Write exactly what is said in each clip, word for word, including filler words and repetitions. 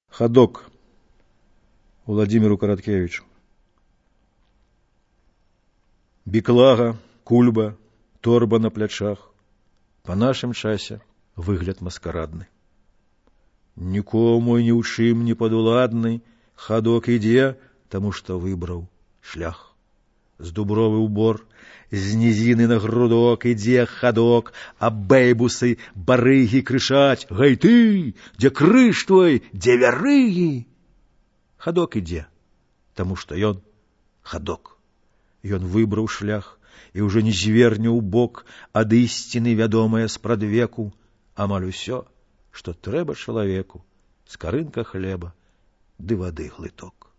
Ходок Владимиру Короткевичу. Біклага, кульба, торба на плячах. Па нашым часе выгляд маскарадны. Нікому ні ў чым не падуладны, хадок ідзе, таму што выбраў шлях. З дубровы ўбор, з нізіны на грудок ідзе хадок, а бэйбусы, барыгі крычаць: «Гэй ты, дзе крыж твой, дзе вярыгі?» Хадок ідзе, таму што ён хадок. Ён выбраў шлях і ўжо не зверне ў бок ад ісціны вядомая спрадвеку. Амаль усё, што трэба чалавеку, скарынка хлеба ды вады глыток.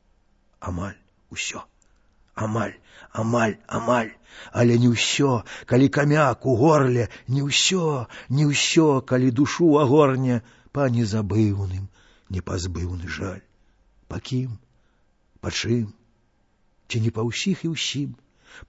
Амаль усё. Амаль, амаль, амаль, але не ўсё, калі камяк у горле, не ўсё, не ўсё, калі душу агорне па незабыўным, непазбыўны жаль. Па кім? Па чым? Ці не па ўсіх і ўсім?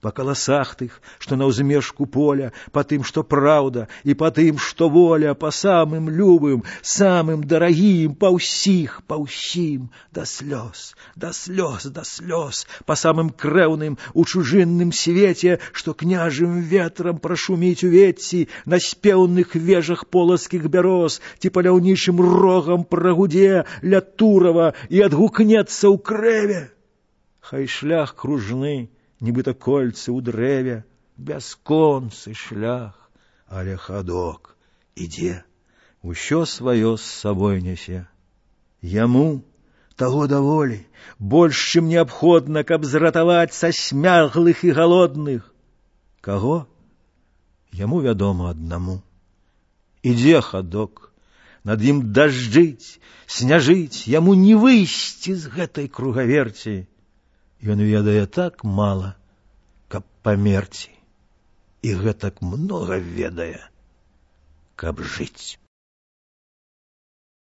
Па каласах тых, што на ўзмежку поля, па тым, што праўда, і па тым, што воля, па самым любым, самым дарагім, па ўсіх, па ўсім, да слёз, да слёз, да слёз, па самым крэўным у чужынным свеце, што княжым ветрам прашуміць увецці на спеўных вежах полацкіх бяроз, ці паляўнічым рогам прагудзе ля Турава і адгукнецца ў крэве. Хай шлях кружны, нібыта кольцы ў дрэве, бясконцы шлях, але хадок ідзе, усё сваё з сабой нясе. Яму таго даволі, больш, чым неабходна, каб зратаваць са смяглых і галодных. Каго? Яму вядома аднаму. Ідзе хадок, над ім дажджыць, сняжыць, яму не выйсці з гэтай кругаверці. Ён ведае так мала, каб памерці, і гэтак многа ведае, каб жыць.